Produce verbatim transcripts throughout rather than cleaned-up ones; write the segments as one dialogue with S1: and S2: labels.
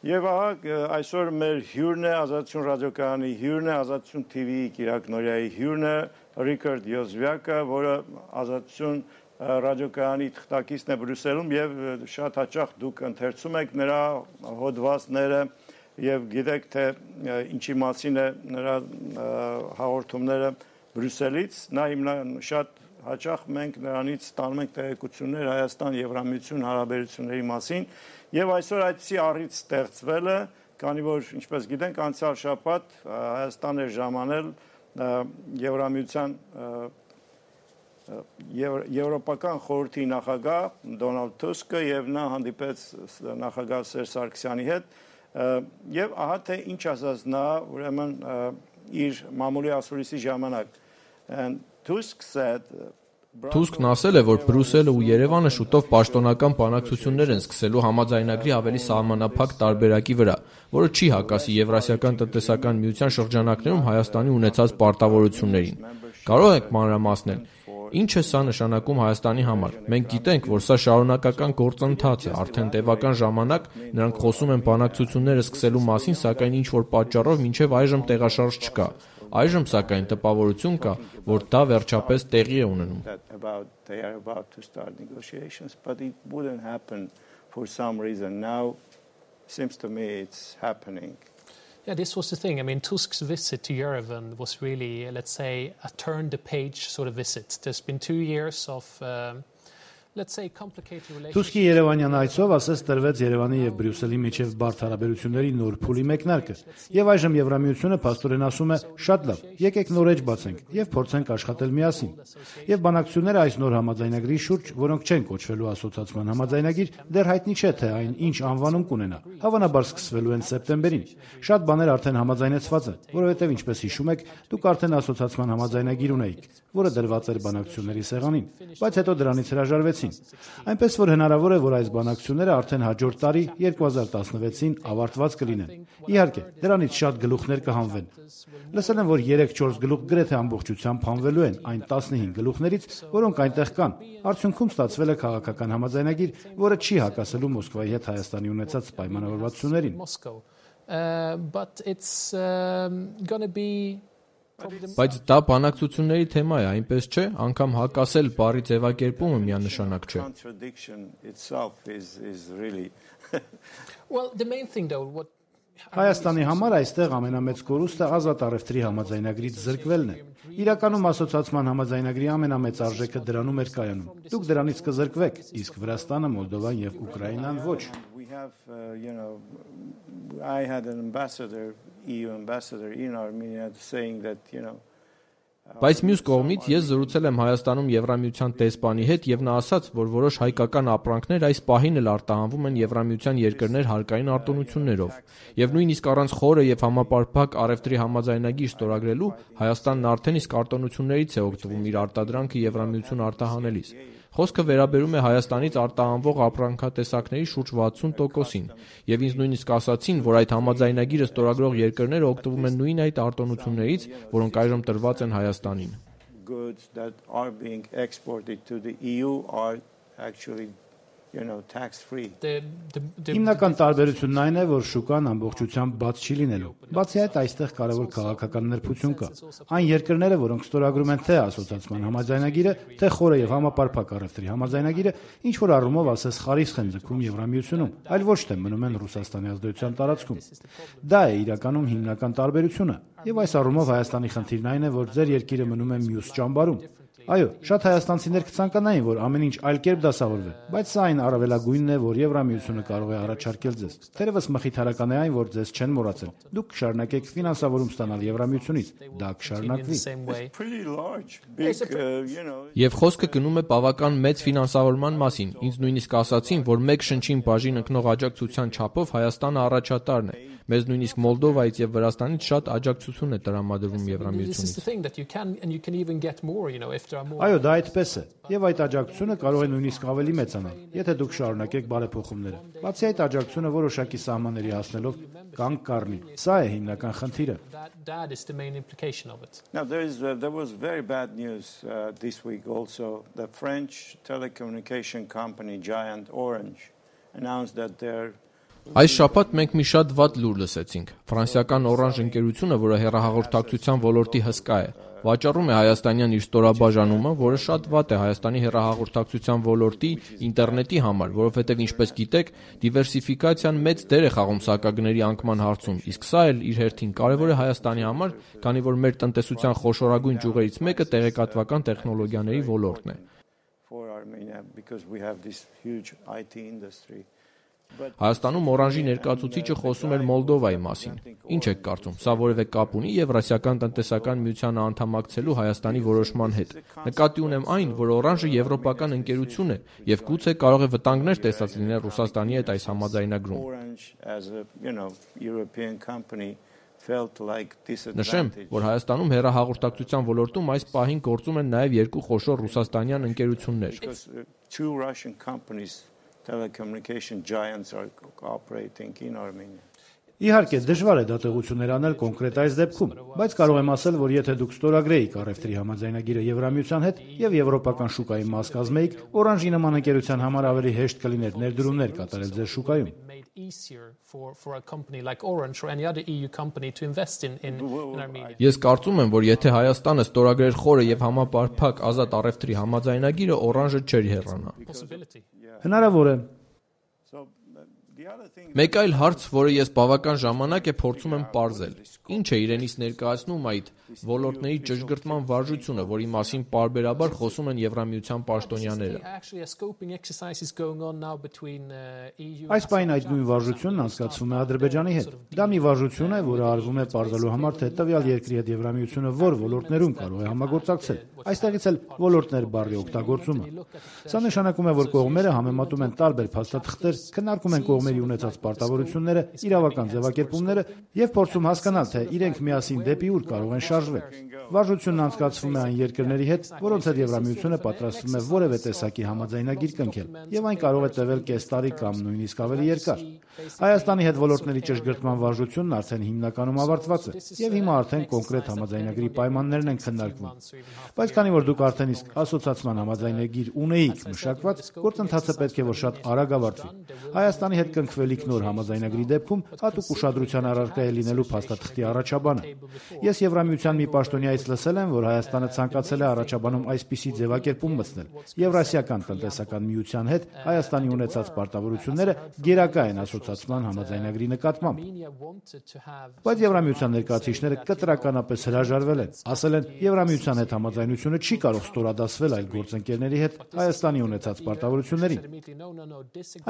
S1: Եվ ահա այսօր մեր հյուրն է Ազատություն ռադիոկայանի հյուրն է Ազատություն T V-ի Կիրակ Նորյայի հյուրն է Ռիքարդ Յոզվյակը, որը Ազատություն ռադիոկայանի թղթակիցն է Բրյուսելում եւ շատ հաճախ դուք ընթերցում եք նրա հոդվածները եւ գիտեք թե ինչի մասին է նրա հաղորդումները Բրյուսելից, նա հիմնա շատ հաճախ մենք նրանից ստանում ենք տեղեկություններ Հայաստան Եվրամիություն հարաբերությունների մասին եւ այսօր այդպիսի առիթ ստեղծվել է, քանի որ ինչպես գիտենք անցյալ շաբաթ Հայաստան էր ժամանել Եվրամիության Եվրոպական խորհրդի նախագահ Դոնալդ Թուսկը եւ նա հանդիպեց նախագահ Սերժ Սարգսյանի հետ եւ ահա թե ինչ ասաց նա ուրեմն իր մամուլի ասուլիսի ժամանակ and Tusk said
S2: Թուսկն ասել է, որ Բրյուսելը ու Երևանը շուտով պաշտոնական բանակցություններ են սկսելու համաձայնագրի ավելի սահմանափակ տարբերակի վրա, որը չի հակասի Եվրասիական տնտեսական միության շրջանակներում Հայաստանի ունեցած պարտավորություններին։ Կարող եք մանրամասնել, ինչ է սա նշանակում Հայաստանի համար։ Մենք գիտենք, որ սա շարունակական գործընթաց է, արդեն տևական ժամանակ նրանք խոսում են բանակցությունները սկսելու մասին, սակայն ինչ-որ պատճառով մինչև այժմ տեղաշարժ չկա։ Այժմ սակայն տպավորություն կա, որ դա վերջապես տեղի է ունենում։
S3: Yeah, this was the thing. I mean, Tusk's visit to Yerevan was really, let's say, a turn-the-page sort of visit. There's been two years of, um, let's say, complicated relations.
S4: Թուսկի Երևանյան այցով ասես տրվեց Երևանի եւ Բրյուսելի միջև բարդ հարաբերությունների նոր փուլի մեկնարկը։ Եվ այժմ Եվրամիությունը փաստորեն ասում է. շատ լավ, եկեք նոր էջ բացենք եւ փորձենք աշխատել միասին։ Եվ բանակցությունները այս նոր համաձայնագրի շուրջ, որոնք չեն կոչվելու ասոցիացման համաձայնագիր, դեռ հայտնի չէ թե այն ինչ անվանում կունենա։ Հավանաբար սկսվելու են սեպտեմբերին։ Շատ բաներ արդեն համաձայնեցված են, որովհետեւ ինչպես հիշում եք, դուք արդեն ասոցիացման համաձայնագիր ունեիք, որը դրված էր բանակցությունների սեղանին, բայց հետո դրանից հրաժարվեցին։ Այնպես որ հնարավոր է, որ այս բանակցությունները արդեն հաջորդ տարի երկու հազար տասնվեցին ավարտված կլինեն։ Իհարկե, դրանից շատ գլուխներ կհանվեն։ Լսել եմ, որ երեք-չորս գլուխ գրեթե ամբողջությամբ հանվելու են այն տասնհինգ գլուխներից, որոնք այնտեղ կան։ Արդյունքում ստացվել է քաղաքական համաձայնագիր, որը չի հակասելու Մոսկվայի հետ Հայաստանի ունեցած պայմանավորվածություններին։
S3: But it's um, going to be
S2: Բայց դա բանակցությունների թեմա է, այնպես չէ, անգամ հակասել բառի ձևակերպումը միանշանակ չէ։
S3: Well, the main thing though what
S4: Հայաստանի համար այստեղ ամենամեծ կորուստը ազատ առևտրի համաձայնագրից զրկվելն է։ Իրականում ասոցիացման համաձայնագրի ամենամեծ արժեքը դրանում էր կայանում։ Դուք դրանից կզրկվեք, իսկ Վրաստանը, Մոլդովան եւ Ուկրաինան ոչ։
S1: I had an ambassador, E U ambassador in Armenia saying that, you know,
S2: Բայց մյուս կողմից ես զրուցել եմ Հայաստանում Եվրամիության տեսփանի հետ եւ նա ասաց, որ որոշ հայկական ապրանքներ այս պահին էլ արտահանվում են Եվրամիության երկրներ հարկային արտոնություններով։ Եվ նույնիսկ առանց խորը եւ համապարփակ առևտրի համաձայնագիր ստորագրելու Հայաստանն արդեն իսկ արտոնություններից է օգտվում իր արտադրանքը Եվրամիություն արտահանելիս։ Խոսքը վերաբերում է Հայաստանից արտահանվող ապրանքատեսակների շուրջ վաթսուն տոկոսին, եւ ինձ նույնիսկ ասացին, որ այդ համաձայնագիրը ստորագրող երկրները օգտվում են նույն այդ արտոնություններից, որոնք այժմ տրված են Հայաստանին։
S1: Goods that are being exported to the E U are actually you know tax free.
S4: Հիմնական տարբերությունն այն է, որ շուկան ամբողջությամբ բաց չի լինելու։ Բացի այդ, այստեղ կարևոր քաղաքական նրբություն կա։ Այն երկրները, որոնք ստորագրում են թե ասոցիացման համաձայնագիրը, թե խորը եւ համապարփակ առևտրի համաձայնագիրը, ինչ որ առումով ասես խարիսխ են ձգում Եվրամիությունում, այլ ոչ թե մնում են Ռուսաստանի ազդեցության տարածքում։ Դա է իրականում հիմնական տարբերությունը։ Եվ այս առումով Հայաստանի խնդիրն այն է, որ ձեր երկիրը մնում է մյուս ճամբարում։ Այո, շատ հայաստանցիներ կցանկանային, որ ամեն ինչ այլ կերպ դասավորվի, բայց սա այն առավելագույնն է, որ Եվրամիությունը կարող է առաջարկել ձեզ։ Թերևս մխիթարական է այն, որ ձեզ չեն մոռացել։ Դուք կշարունակեք ֆինանսավորում ստանալ Եվրամիությունից, դա կշարունակվի։
S2: Եվ խոսքը գնում է բավական մեծ ֆինանսավորման մասին։ Ինձ նույնիսկ ասացին, որ մեկ շնչին բաժին ընկնող աջակցության չափով Հայաստանը առաջատարն է։ Մեզ նույնիսկ Մոլդովայից եւ Վրաստանից շատ աջակցություն է տրամադրվում Եվրամիությունից։
S4: Այո, դա այդպես է։ Եվ այդ աջակցությունը կարող է նույնիսկ ավելի մեծանալ, եթե դուք շարունակեք բարեփոխումները։ Բացի այդ աջակցությունը որոշակի սահմանների հասնելով կանգ կառնի։ Սա է հիմնական խնդիրը։
S1: Now there is uh, there was very bad news uh, this week also. The French telecommunication company giant Orange announced that their
S2: Այս շաբաթ մենք մի շատ վատ լուր լսեցինք։ Ֆրանսիական Orange ընկերությունը, որը հեռահաղորդակցության ոլորտի հսկա է, վաճառում է հայաստանյան իր ստորաբաժանումը, որը շատ վատ է Հայաստանի հեռահաղորդակցության ոլորտի, ինտերնետի համար, որովհետև ինչպես գիտեք, դիվերսիֆիկացիան մեծ դեր է խաղում սակագների անկման հարցում, իսկ սա էլ իր հերթին կարևոր է Հայաստանի համար, քանի որ մեր տնտեսության խոշորագույն ճյուղերից մեկը տեղեկատվական տեխնոլոգիաների ոլորտն է։ Հայաստանում Orange-ի ներկայացուցիչը խոսում էր Մոլդովայի մասին։ Ինչ եք կարծում, սա որևէ կապ ունի Եվրասիական տնտեսական միությանը անդամակցելու Հայաստանի որոշման հետ։ Նկատի ունեմ այն, որ Orange-ը եվրոպական ընկերություն է եւ գուցե կարող է վտանգներ տեսած լինել Ռուսաստանի հետ այս համաձայնագրում։ Նշեմ, որ Հայաստանում հեռահաղորդակցության ոլորտում այս պահին գործում են նաև երկու խոշոր ռուսաստանյան ընկերություններ։
S1: Telecommunication giants are operating in Armenia.
S4: Իհարկե, դժվար է դատողություններ անել կոնկրետ այս դեպքում, բայց կարող եմ ասել, որ եթե դուք ստորագրեիք առևտրի համաձայնագիրը Եվրամիության հետ եւ եվրոպական շուկայի մաս կազմեիք, Orange-ի նման ընկերության համար ավելի հեշտ կլիներ ներդրումներ կատարել ձեր շուկայում։
S2: Ես կարծում եմ, որ եթե Հայաստանը ստորագրեր խորը եւ համապարփակ ազատ առևտրի համաձայնագիրը, Orange-ը չէր հեռանա։
S4: Հնարավոր է։
S2: Մեկ այլ հարց, որը ես բավական ժամանակ է փորձում եմ պարզել. ինչ է իրենից ներկայացնում այդ ոլորտների ճշգրտման վարժությունը, որի մասին պարբերաբար խոսում են Եվրամիության պաշտոնյաները։
S4: Այս պայն այդ նույն վարժությունն անցկացվում է Ադրբեջանի հետ։ Դա մի վարժություն է, որը արվում է պարզելու համար, թե տվյալ երկրի հետ Եվրամիությունը որ ոլորտներում կարող է համագործակցել։ Այստեղից էլ ոլորտներ բառի օգտագործումը։ Սա նշանակում է, որ կողմերը համեմատում են տարբեր փաստաթղթեր, քննարկում են կողմերի ունեցած պարտավորությունները, իրավական ձևակերպումները եւ փորձում հասկանալ, թե իրենք միասին դեպի ուր կարող են շարժվել։ Վարժությունն անցկացվում է այն երկրների հետ, որոնց հետ Եվրամիությունը պատրաստվում է որևէ տեսակի համաձայնագիր կնքել, եւ այն կարող է տևել կես տարի կամ նույնիսկ ավելի երկար։ Հայաստանի հետ ոլորտների ճշգրտման վարժությունն արդեն հիմնականում ավարտված է, եւ հիմա արդեն կոնկրետ համաձայնագրի պայմաններն են քննարկվում։ Բայց քանի որ դուք արդեն իսկ ասոցիացիան համաձայնագիր ունեիք մշակված, գործընթացը պետք է որ շատ արագ ավարտվի։ Հայաստանի հետ կնքվելիք նոր համաձայնագրի դեպքում հատուկ ուշադրության առարկա է լինելու փաստաթղթի առաջաբանը։ Ես Եվրամիության մի պաշտոնյայից լսել եմ, որ Հայաստանը ցանկացել է առաջաբանում այսպիսի ձևակերպում մտցնել։ Եվրասիական տնտեսական միության հետ Հայաստանի ունեցած պարտավորությունները գերակա են ասոցիացիան համաձայնագրի նկատմամբ։ Բայց Եվրամիության ներկայացուցիչները կտրականապես հրաժարվել են, ասել են, Եվրամիության հետ համաձայնությունը չի կարող ստորադասվել այլ գործընկերների հետ Հայաստանի ունեցած պարտավորություններին։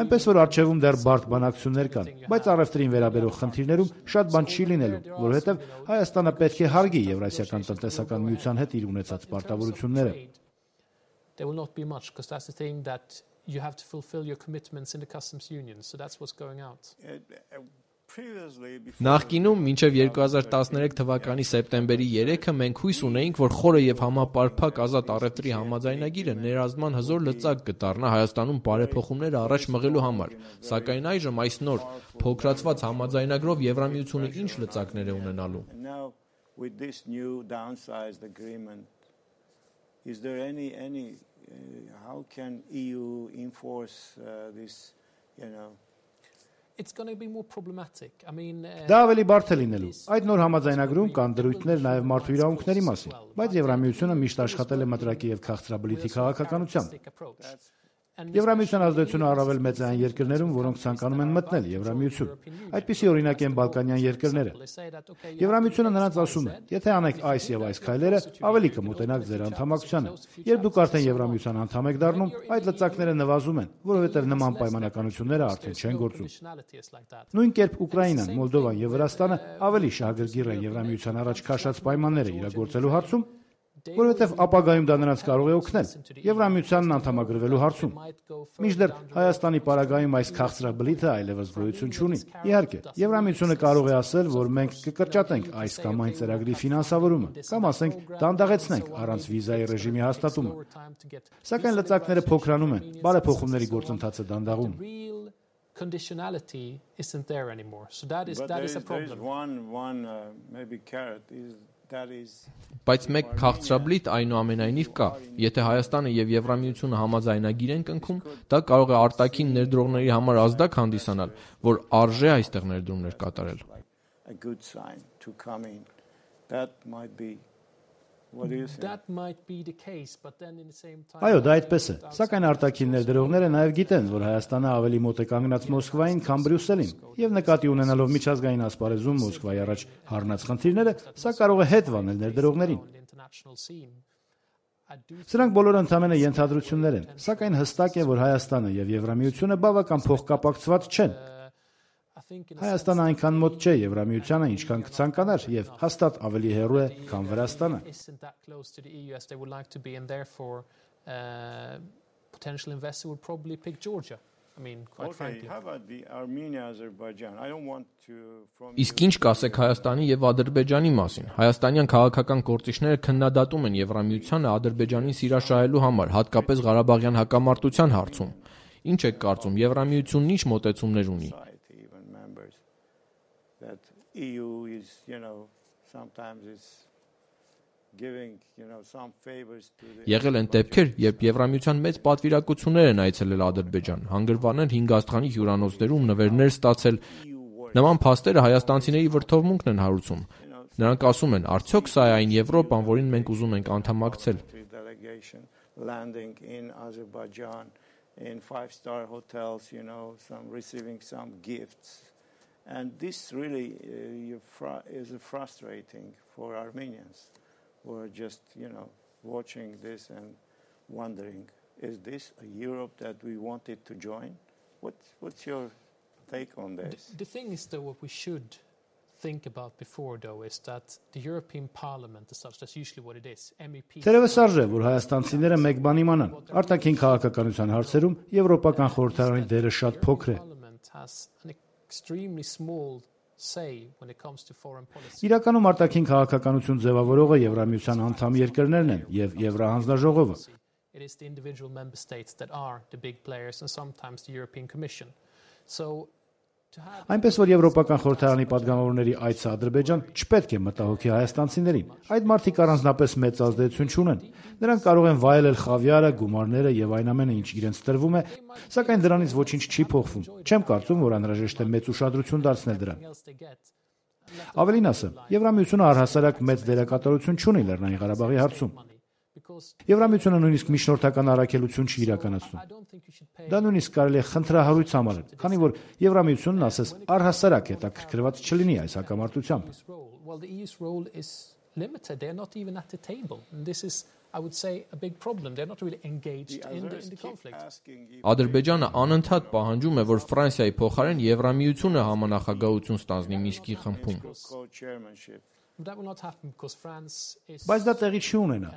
S4: Այնպես որ առջևում դեռ բարդ բանակցություններ կան, բայց առևտրին վերաբերող խնդիրներում շատ բան չի լինելու, որովհետև Հայաստանը պետք է հարգի Եվրասիական տնտեսական միության հետ իր ունեցած պարտավորությունները։
S2: Նախկինում մինչև երկու հազար տասներեք թվականի սեպտեմբերի երեքը մենք հույս ունեինք, որ խորը եւ համապարփակ ազատ առևտրի համաձայնագիրը ներազդման հզոր լծակ կդառնա Հայաստանում բարեփոխումները առաջ մղելու համար, սակայն այժմ այս նոր փոքրացված համաձայնագրով Եվրամիությունը ինչ լծակներ է ունենալու։
S4: Դա ավելի բարդ է լինելու։ Այդ նոր համաձայնագրում կան դրույթներ նաև մարդու իրավունքների մասին, բայց Եվրամիությունը միշտ աշխատել է մտրակի եւ քաղցրաբլիթի քաղաքականությամբ։ Եվրամիության ազդեցությունը առավել մեծ է այն երկրներում, որոնք ցանկանում են մտնել Եվրամիություն։ Այդպիսի օրինակ են բալկանյան երկրները։ Եվրամիությունը նրանց ասում է. եթե անեք այս եւ այս քայլերը, ավելի կմոտենաք ձեր անդամակցությանը։ Երբ դուք արդեն Եվրամիության անդամ եք դառնում, այդ լծակները նվազում են, որովհետեւ նման պայմանականությունները արդեն չեն գործում։ Նույն կերպ Ուկրաինան, Մոլդովան եւ Վրաստանը ավելի շահագրգիռ են Եվրամիության առաջ քաշած պայմանները իրագործելու հարցում, որովհետև ապագայում դա նրանց կարող է օգնել Եվրամիությանն անդամագրվելու հարցում։ Մինչդեռ Հայաստանի պարագայում այս քաղցրաբլիթը այլևս գոյություն չունի։ Իհարկե, Եվրամիությունը կարող է ասել, որ մենք կկրճատենք այս կամ այն ծրագրի ֆինանսավորումը, կամ ասենք դանդաղեցնենք առանց վիզայի ռեժիմի հաստատումը։ Սակայն լծակները փոքրանում են, բարեփոխումների գործընթացը դանդաղում։
S3: Conditionality isn't there anymore. So that is
S1: But
S3: that
S1: there
S3: is a
S1: is, there is
S3: problem.
S1: one one uh, maybe carrot is
S2: Բայց մեկ քաղցրաբլիթ այնուամենայնիվ կա։ Եթե Հայաստանը եւ Եվրամիությունը համաձայնագիր են կնքում, դա կարող է արտաքին ներդրողների համար ազդակ հանդիսանալ, որ արժե այստեղ ներդրումներ կատարել։
S3: That might be the case, but then in the same time
S4: Այո, դա այդպես է։ Սակայն արտաքին ներդրողները նաև գիտեն, որ Հայաստանը ավելի մոտ է կանգնած Մոսկվային, քան Բրյուսելին, եւ նկատի ունենալով միջազգային ասպարեզում Մոսկվայի առաջ հառնած խնդիրները, սա կարող է հետ վանել ներդրողներին։ Սրանք բոլորը ընդհանրապես ենթադրություններ են, սակայն հստակ է, որ Հայաստանը եւ Եվրամիությունը բավական փոխկապակցված չեն։ Հայաստանը այնքան մոտ չէ Եվրամիությանը, ինչքան կցանկանար, եւ հաստատ ավելի հեռու է, քան Վրաստանը։
S2: Իսկ ինչ կասեք Հայաստանի եւ Ադրբեջանի մասին։ Հայաստանյան քաղաքական գործիչները քննադատում են Եվրամիությանը Ադրբեջանին սիրաշահելու համար, հատկապես Ղարաբաղյան հակամարտության հարցում։ Ինչ եք կարծում, Եվրամիությունն ինչ մոտեցումներ ունի։
S1: That E U is, you know, sometimes is giving, you know, some favors to the
S2: Եղել են դեպքեր, երբ Եվրամիության մեծ պատվիրակություններ են այցելել Ադրբեջան, հանգրվանել հինգ աստղանի հյուրանոցներում նվերներ ստացել։ Նման փաստերը հայաստանցիների վրդովմունքն են հարուցում։ Նրանք ասում են, արդյոք սա է այն Եվրոպան, որին մենք ուզում ենք անդամակցել։
S1: Landing in Azerbaijan in five star hotels, you know, some receiving some gifts. And this really uh, is frustrating for Armenians who are just, you know, watching this and wondering, is this a Europe that we wanted to join? What, what's your take on this?
S3: The, the thing is, though, what we should think about before, though, is that the European Parliament as such, that's usually what it is, M E Ps...
S4: Թերևս արժե, որ հայաստանցիները մեկ բան իմանան, արտաքին քաղաքականության հարցերում Եվրոպական խորհրդարանի դերը շատ փոքր է։
S3: Extremely small say when it comes to foreign policy.
S4: Իրականում արտաքին քաղաքականություն ձևավորողը Եվրամիության անդամ երկրներն են եւ Եվրահանձնաժողովը։
S3: It is the individual member states that are the big players and sometimes the European Commission. So
S4: Այնպես որ Եվրոպական խորհրդարանի падգամավորների այցը Ադրբեջան չպետք է մտահոգի հայաստանցիներին։ Այդ մարդիկ առանձնապես մեծ ազդեցություն չունեն։ Նրանք կարող են վայելել խավիարը, գումարները եւ այն ամենը, ինչ իրենց տրվում է, սակայն դրանից ոչինչ չի փոխվում։ Չեմ կարծում, որ անհրաժեշտ է մեծ ուշադրություն դարձնել դրան։ Ավելին ասեմ, Եվրամիությունը առհասարակ մեծ դերակատարություն չունի Լեռնային Ղարաբաղի հարցում։ Եվրամիությունը նույնիսկ միջնորդական առաքելություն չի իրականացնում։ Դա նույնիսկ կարելի է խնդրահարույց համարել, քանի որ Եվրամիությունն ասես առհասարակ հետաքրքրված չլինի այս հակամարտությամբ։
S2: Ադրբեջանը անընդհատ պահանջում է, որ Ֆրանսիայի փոխարեն Եվրամիությունը համանախագահություն ստանձնի Մինսկի խմբում։
S4: Բայց դա տեղի չի ունենա,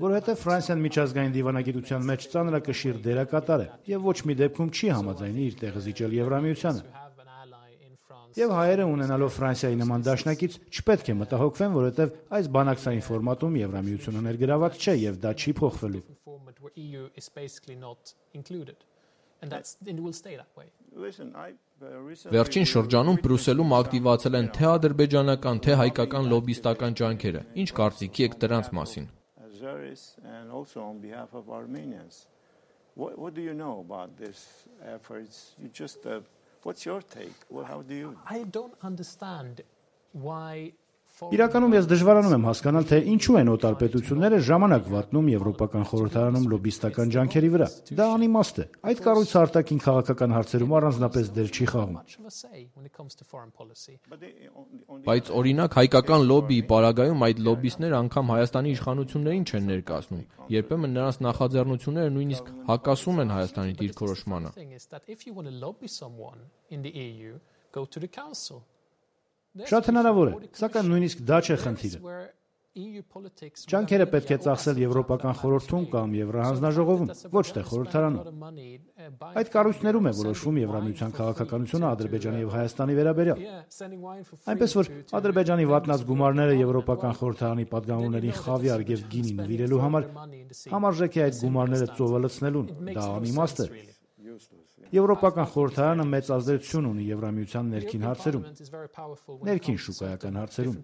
S4: որովհետև Ֆրանսիան միջազգային դիվանագիտության մեջ ծանրակշիռ դերակատար է եւ ոչ մի դեպքում չի համաձայնի իր տեղը զիջել Եվրամիությանը։ Եվ հայերը ունենալով Ֆրանսիայի նման դաշնակից չպետք է մտահոգվեն, որովհետև այս բանակցային ֆորմատում Եվրամիությունը ներգրաված չէ եւ դա չի փոխվելու։
S2: Վերջին շրջանում Բրյուսելում ակտիվացել են թե ադրբեջանական, թե հայկական լոբիստական ջանքերը։ Ինչ կարծիքի եք դրանց մասին։
S1: What do you know about this efforts? You just uh, what's your take? Well, how do you
S3: I don't understand why
S4: Իրականում ես դժվարանում եմ հասկանալ, թե ինչու են օտար պետությունները ժամանակ վատնում Եվրոպական խորհրդարանում լոբիստական ջանքերի վրա։ Դա անիմաստ է։ Այդ կառույցը արտաքին քաղաքական հարցերում առանձնապես դեր չի խաղում։
S2: Բայց օրինակ հայկական լոբիի պարագայում այդ լոբիստները անգամ Հայաստանի իշխանություններին չեն ներկայացնում։ Երբեմն նրանց նախաձեռնությունները նույնիսկ հակասում են Հայաստանի դիրքորոշմանը։
S4: Շատ հնարավոր է, սակայն նույնիսկ դա չէ խնդիրը։ Ջանքերը պետք է ծախսել Եվրոպական խորհրդում կամ Եվրահանձնաժողովում, ոչ թե խորհրդարանում։ Այդ կառույցներում է որոշվում Եվրամիության քաղաքականությունը Ադրբեջանի եւ Հայաստանի վերաբերյալ։ Այնպես որ Ադրբեջանի վատնած գումարները Եվրոպական խորհրդարանի падգամավորներին խավիար եւ գինի նվիրելու համար համարժեք է այդ գումարները ծովը լցնելուն։ Դա անիմաստ է։ Եվրոպական խորհրդարանը մեծ ազդեցություն ունի Եվրամիության ներքին հարցերում, ներքին շուկայական հարցերում։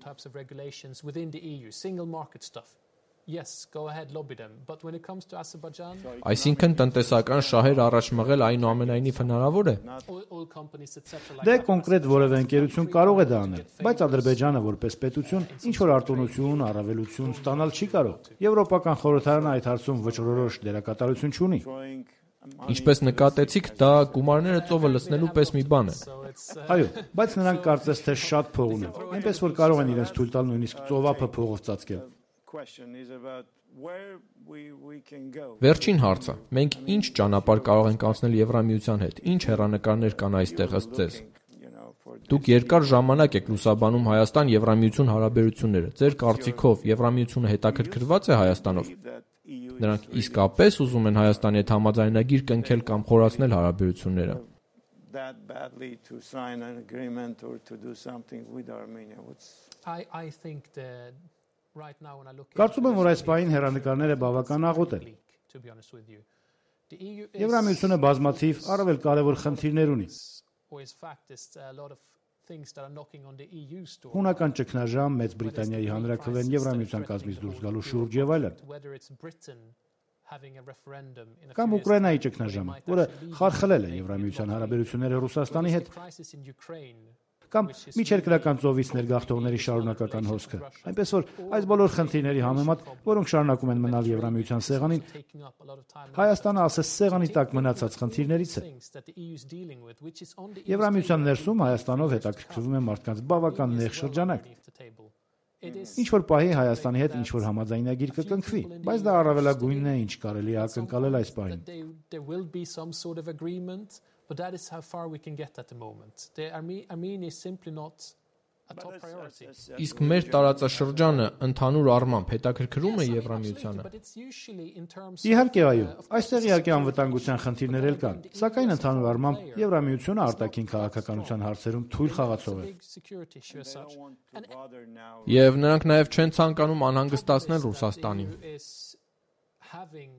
S3: Yes, go ahead, lobby them. But when it comes to Azerbaijan,
S2: Այսինքն տնտեսական շահեր առաջ մղել այնուամենայնիվ հնարավոր է։
S3: oil companies et cetera.
S4: Դե կոնկրետ որևէ ընկերություն կարող է դա անել, բայց Ադրբեջանը որպես պետություն ինչ որ արտոնություն, առավելություն ստանալ չի կարող։ Եվրոպական խորհրդարանը այդ հարցում վճռորոշ դերակատարություն չունի։
S2: Ինչպես նկատեցիք, դա գումարները ծովը լցնելու պես մի բան է։
S4: Այո, բայց նրանք կարծես թե շատ փող ունեն, այնպես որ կարող են իրենց թույլ տալ նույնիսկ ծովափը փողով ծածկել։
S2: Վերջին հարցը. մենք ինչ ճանապարհ կարող ենք անցնել Եվրամիության հետ։ Ինչ հեռանկարներ կան այստեղ ըստ ձեզ։ Դուք երկար ժամանակ եք լուսաբանում Հայաստան-Եվրամիություն հարաբերությունները։ Ձեր կարծիքով Եվրամիությունը հետաքրքրված է Հայաստանով։ Նրանք իսկապես ուզում են Հայաստանի հետ համաձայնագիր կնքել կամ խորացնել հարաբերությունները։
S3: I, I think that right now when I look
S4: Կարծում եմ, որ այս պահին հեռանկարները բավական աղոտ են։
S3: to be honest with you, the E U is
S4: Եվրամիությունը բազմաթիվ առավել կարևոր խնդիրներ ունի։
S3: or is fact is a lot of things that are knocking on the E U's door.
S4: Հունական ճգնաժամ, Մեծ Բրիտանիայի հանրաքվեն Եվրամիության կազմից դուրս գալու շուրջ եւ այլն։
S3: Whether it's Britain having a referendum in a
S4: Կամ
S3: few years'
S4: Ուկրաինայի
S3: time,
S4: ճգնաժամը,
S3: might
S4: որը
S3: actually lead
S4: խարխլել է
S3: to
S4: Եվրամիության
S3: a
S4: հարաբերությունները Ռուսաստանի հետ,
S3: crisis in Ukraine.
S4: կամ միջերկրական ծովից ներգաղթողների շարունակական հոսքը։ Այնպես որ այս բոլոր խնդիրների համեմատ, որոնք շարունակում են մնալ Եվրամիության սեղանին,
S3: taking up a lot of time.
S4: Հայաստանը ասես սեղանի տակ մնացած խնդիրներից է։
S3: Things that the E U is dealing with, which is on the
S4: Եվրամիության ներսում Հայաստանով հետաքրքրվում է մարդկանց բավական նեղ շրջանակ։
S3: beneath the table. It is
S4: Ինչ որ պահի Հայաստանի հետ ինչ որ համաձայնագիր կկնքվի, բայց դա առավելագույնն է, ինչ կարելի է ակնկալել այս պահին։
S3: that they, there will be some sort of agreement, but that is how far we can get at the moment. The Arme- Armenia is simply not a top priority.
S2: Իսկ մեր տարածաշրջանը ընդհանուր առմամբ հետաքրքրում է Եվրամիությանը։
S3: But it's usually in terms
S4: Իհարկե այո, այստեղ իհարկե անվտանգության խնդիրներ էլ կան, սակայն ընդհանուր առմամբ Եվրամիությունը արտաքին քաղաքականության հարցերում թույլ խաղացող է։
S3: big security issue as such. And
S2: Եվ նրանք նաև չեն ցանկանում անհանգստացնել Ռուսաստանին։
S3: E U is having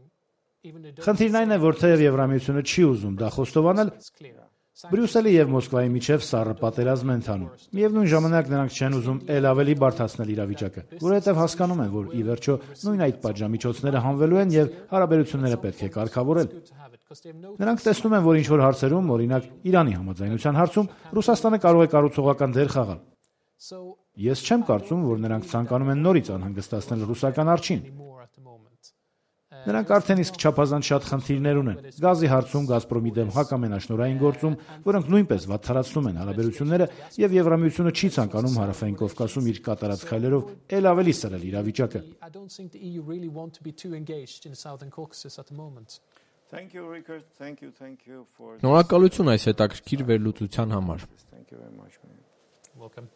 S3: even the
S4: Խնդիրն այն է, որ թեև Եվրամիությունը չի ուզում դա խոստովանել,
S3: it's clear.
S4: Բրյուսելի եւ Մոսկվայի միջև սառը պատերազմ են ընթանում։ Միևնույն ժամանակ նրանք չեն ուզում ել ավելի բարդացնել իրավիճակը, որովհետեւ հասկանում են, որ ի վերջո նույն այդ պատժամիջոցները հանվելու են եւ հարաբերությունները պետք է կարգավորել։
S3: Good to have it because they have no
S4: Նրանք տեսնում են, որ ինչ որ հարցերում, օրինակ Իրանի համաձայնության հարցում, Ռուսաստանը կարող է կառուցողական դեր խաղալ։
S3: so
S4: Ես չեմ կարծում, որ նրանք ցանկանում են նորից անհանգստացնել ռուսական արջին։
S3: more at the moment.
S4: Նրանք արդեն իսկ չափազանց շատ խնդիրներ ունեն։ Գազի հարցում Գազպրոմի դեմ հակամենաշնորհային գործում, որոնք նույնպես վատթարացնում են հարաբերությունները, եւ Եվրամիությունը չի ցանկանում Հարավային Կովկասում իր կատարած քայլերով ել ավելի սրել իրավիճակը։
S3: I don't think the E U really want to be too engaged in the Southern Caucasus at the moment.
S1: Thank you, Rickard. Thank you, thank you for
S2: Շնորհակալություն այս հետաքրքիր վերլուծության համար։
S1: Thank you very much, man.
S3: Welcome.